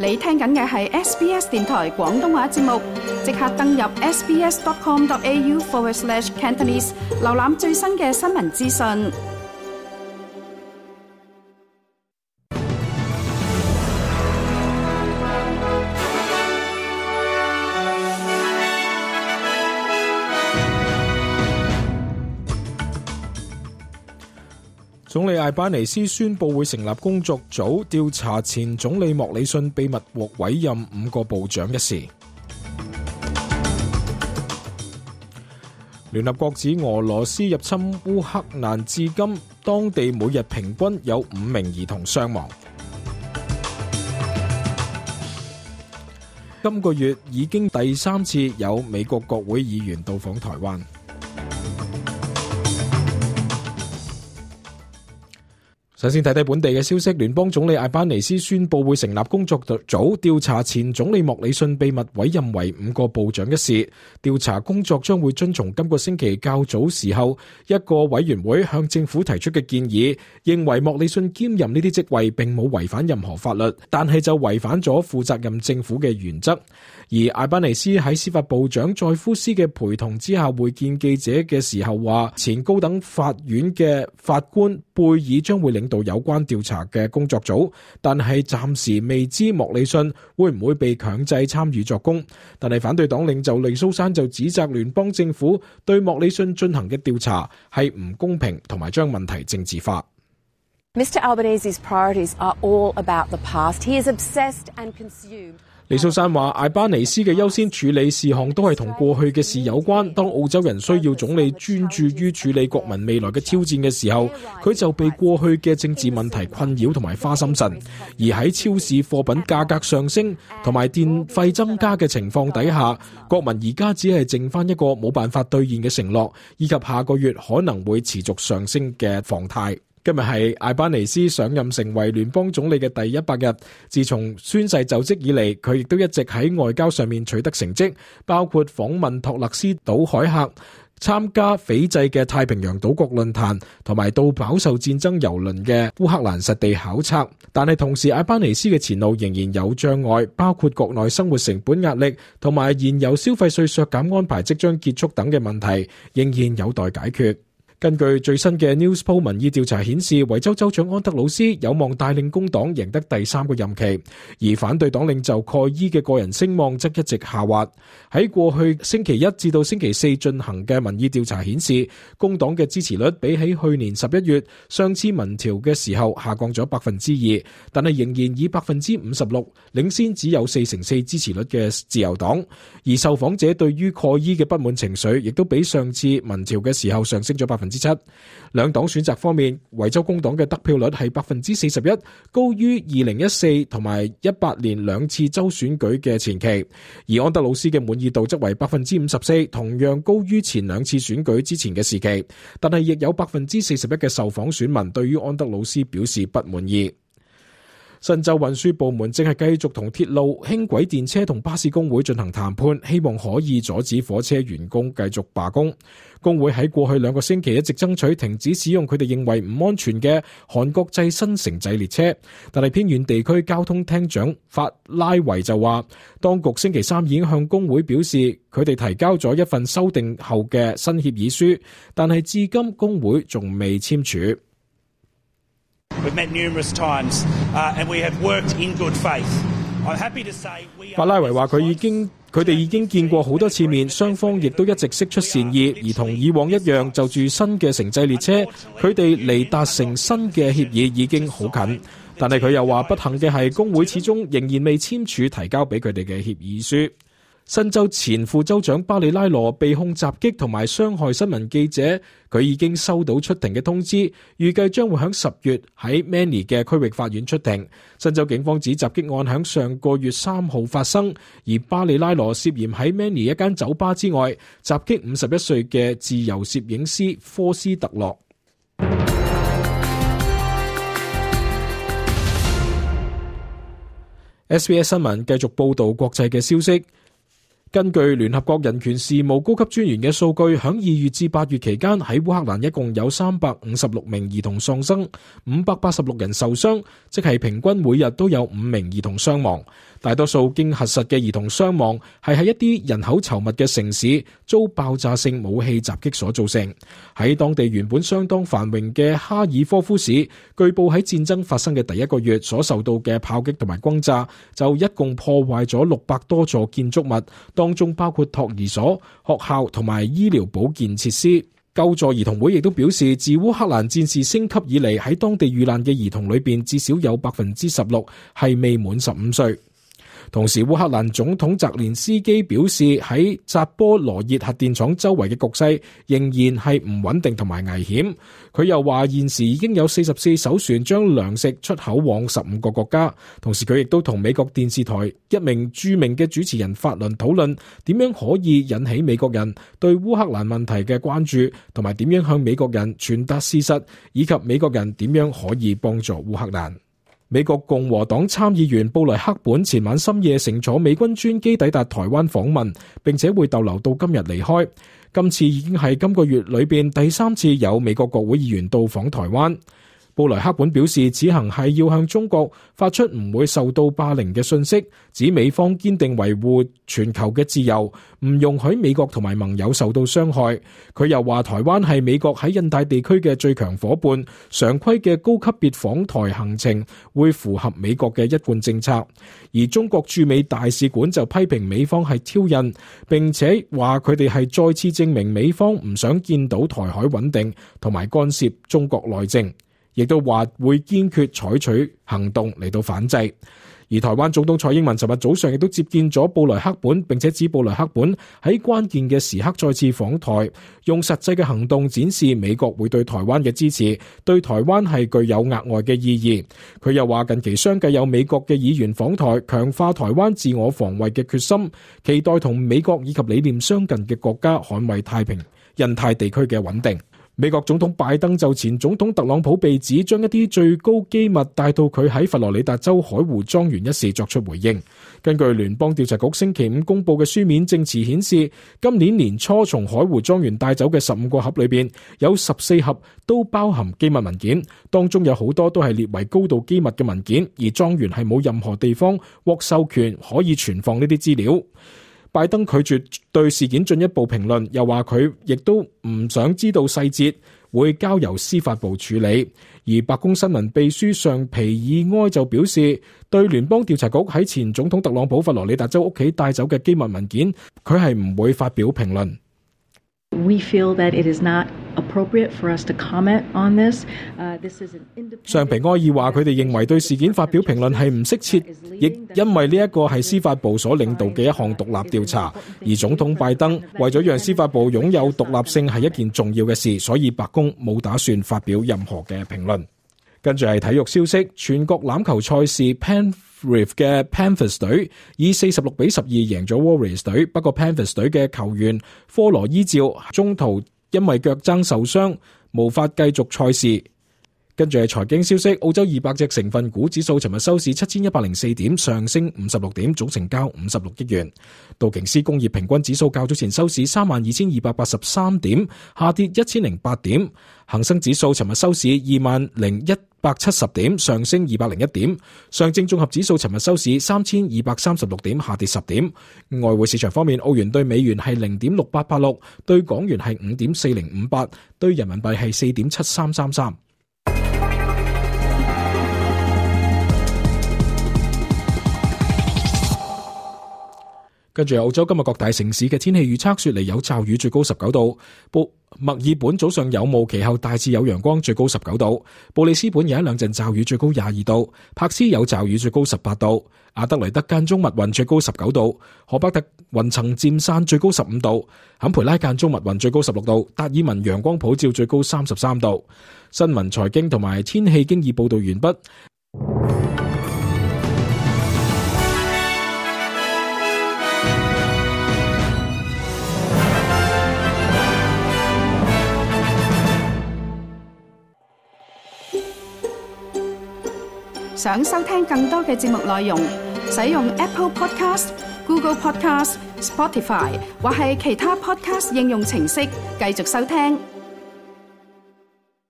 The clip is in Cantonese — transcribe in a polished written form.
你聽緊嘅係 SBS 電台廣東話節目，即刻登入 sbs.com.au/Cantonese 瀏覽最新嘅新聞資訊。總理艾巴尼斯宣布會成立工作組調查前總理莫里遜秘密獲委任5個部長一事。聯合國指俄羅斯入侵烏克蘭至今，當地每日平均有5名兒童傷亡。今個月已經第3次有美國國會議員到訪台灣。首先睇睇本地嘅消息，聯邦總理艾巴尼斯宣布會成立工作組調查前總理莫里遜秘密委任為5個部長一事。調查工作將會遵從今個星期較早時候一個委員會向政府提出嘅建議，認為莫里遜兼任呢啲職位並冇違反任何法律，但係就違反咗負責任政府嘅原則。而艾巴尼斯喺司法部長載夫斯嘅陪同之下會見記者嘅時候話，前高等法院嘅法官貝爾將會領導有關調查嘅工作組，但係暫時未知莫里遜會唔會被強制參與作供。但係反對黨領袖利蘇珊就指責聯邦政府對莫里遜進行嘅調查係唔公平，同埋將問題政治化。Mr. Albanese's priorities are all about the past. He is obsessed and consumed. 李素珊話，艾巴尼斯嘅優先處理事項都係同過去嘅事有關。當澳洲人需要總理專注於處理國民未來嘅挑戰嘅時候，佢就被過去嘅政治問題困擾同埋花心神。而喺超市貨品價格上升同埋電費增加嘅情況底下，國民而家只係剩翻一個冇辦法兌現嘅承諾，以及下個月可能會持續上升嘅房貸。今日係艾巴尼斯上任成為聯邦總理嘅第100日，自從宣誓就職以嚟，佢亦都一直喺外交上面取得成績，包括訪問托勒斯島海峽、參加斐濟嘅太平洋島國論壇，同埋到飽受戰爭蹂躪嘅烏克蘭實地考察。但係同時，艾巴尼斯嘅前路仍然有障礙，包括國內生活成本壓力同埋現有消費稅削減安排即將結束等嘅問題，仍然有待解決。根據最新嘅 Newspoll 民意調查顯示，維州州長安德魯斯有望帶領工黨贏得第3個任期，而反對黨領袖蓋伊嘅個人聲望則一直下滑。喺過去星期1至到星期4進行嘅民意調查顯示，工黨嘅支持率比起去年11月上次民調嘅時候下降咗 2%， 但係仍然以 56% 領先只有4%支持率嘅自由黨。而受訪者對於蓋伊嘅不滿情緒亦都比上次民調嘅時候上升咗7%。兩黨選擇方面，維州工黨嘅得票率係 41%， 高於2014同埋18年2次州選舉嘅前期。而安德魯斯嘅滿意度則為 54%， 同樣高於前2次選舉之前嘅時期，但係亦有 41% 嘅受訪選民對於安德魯斯表示不滿意。新州運輸部門正係繼續同鐵路、輕軌電車同巴士工會進行談判，希望可以阻止火車員工繼續罷工。工會喺過去2個星期一直爭取停止使用佢哋認為唔安全嘅韓國製新城際列車，但係偏遠地區交通廳長法拉維就話，當局星期3已經向工會表示佢哋提交咗一份修訂後嘅新協議書，但係至今工會仲未簽署。We've met numerous times, and we have worked in good faith. I'm happy to say we are... 法拉維話佢哋已經見過好多次面，雙方亦都一直釋出善意，而同以往一樣，就住新嘅城際列車，佢哋離達成新嘅協議已經好近。但係佢又話不幸嘅係工會始終仍然未簽署提交俾佢哋嘅協議書。新州前副州長巴里拉羅被控襲擊同埋傷害新聞記者，佢已經收到出庭嘅通知，預計將會喺10月喺 Manly 嘅區域法院出庭。新州警方指襲擊案喺上個月3號發生，而巴里拉羅涉嫌喺 Manly 一間酒吧之外襲擊51歲嘅自由攝影師科斯特洛。SBS 新聞繼續報道國際嘅消息。根據聯合國人權事務高級專員嘅數據，響2月至8月期間，喺烏克蘭一共有356名兒童喪生，586人受傷，即係平均每日都有5名兒童傷亡。大多數經核實嘅兒童傷亡係喺一啲人口稠密嘅城市遭爆炸性武器襲擊所造成。喺當地原本相當繁榮嘅哈爾科夫市，據報喺戰爭發生嘅第一個月所受到嘅炮擊同埋轟炸，就一共破壞咗600多座建築物，當中包括托兒所、學校同埋醫療保健設施。救助兒童會亦都表示，自烏克蘭戰事升級以嚟，喺當地遇難嘅兒童裏邊，至少有16%係未滿15歲。同時，烏克蘭總統澤連斯基表示，喺扎波羅熱核電廠周圍嘅局勢仍然係唔穩定同埋危險。佢又話，現時已經有44艘船將糧食出口往15個國家。同時，佢亦都同美國電視台一名著名嘅主持人法倫討論點樣可以引起美國人對烏克蘭問題嘅關注，同埋點樣向美國人傳達事實，以及美國人點樣可以幫助烏克蘭。美國共和黨參議員布萊克本前晚深夜乘坐美軍專機抵達台灣訪問，並且會逗留到今日離開。今次已經係今個月裏邊第3次有美國國會議員到訪台灣。布萊克本表示，此行係要向中國發出唔會受到霸凌嘅訊息，指美方堅定維護全球嘅自由，唔容許美國同埋盟友受到傷害。佢又話，台灣係美國喺印太地區嘅最強夥伴，常規嘅高級別訪台行程會符合美國嘅一貫政策。而中國駐美大使館就批評美方係挑釁，並且話佢哋係再次證明美方唔想見到台海穩定同埋干涉中國內政。亦都話會堅決採取行動嚟到反制。而台灣總統蔡英文尋日早上亦都接見咗布萊克本，並且指布萊克本喺關鍵嘅時刻再次訪台，用實際嘅行動展示美國會對台灣嘅支持，對台灣係具有額外嘅意義。佢又話近期相繼有美國嘅議員訪台，強化台灣自我防衛嘅決心，期待同美國以及理念相近嘅國家捍衛太平印太地區嘅穩定。美國總統拜登就前總統特朗普被指將一啲最高機密帶到佢喺佛羅里達州海湖莊園一事作出回應。根據聯邦調查局星期5公佈嘅書面證詞顯示，今年年初從海湖莊園帶走嘅15個盒裏邊，有14盒都包含機密文件，當中有好多都係列為高度機密嘅文件，而莊園係冇任何地方獲授權可以存放呢啲資料。拜登拒絕對事件進一步評論，又話佢亦都唔想知道細節，會交由司法部處理。而白宮新聞秘書尚皮爾埃就表示，對聯邦調查局喺前總統特朗普佛羅里達州屋企帶走嘅機密文件，佢係唔會發表評論。We feel that it is not appropriate for us to comment on this. This is an independent. 尚皮埃爾話：佢哋認為對事件發表評論係唔適切，亦因為呢一個係司法部所領導嘅一項獨立調查，而總統拜登為咗讓司法部擁有獨立性係一件重要嘅事，所以白宮冇打算發表任何嘅評論。跟住係體育消息，全國欖球賽事 Penrith 嘅 Panthers 隊以46-12贏咗 Warriors 隊，不過 Panthers 隊嘅球員科羅伊照中途因為腳踭受傷，無法繼續賽事。跟住係財經消息，澳洲200隻成分股指數尋日收市7104點，上升56點，總成交56億元。道瓊斯工業平均指數較早前收市32283點，下跌1008點。恒生指數尋日收市20170點，上升201點。上證綜合指數尋日收市3236點，下跌10點。外匯市場方面，澳元對美元係0.6886，對港元係5.4058，對人民幣係4.7333。跟住澳洲今日各大城市嘅天氣預測，雪梨有驟雨，最高19度；墨爾本早上有霧，其後大致有陽光，最高19度；布里斯本有一兩陣驟雨，最高22度；柏斯有驟雨，最高18度；阿德萊德間中密雲，最高19度；荷伯特雲層漸散，最高15度；坎培拉間中密雲，最高16度；達爾文陽光普照，最高33度。新聞、財經同埋天氣經已報道完畢。想收聽更多嘅節目內容，使用 Apple Podcast、Google Podcast、Spotify 或係其他 Podcast 應用程式繼續收聽。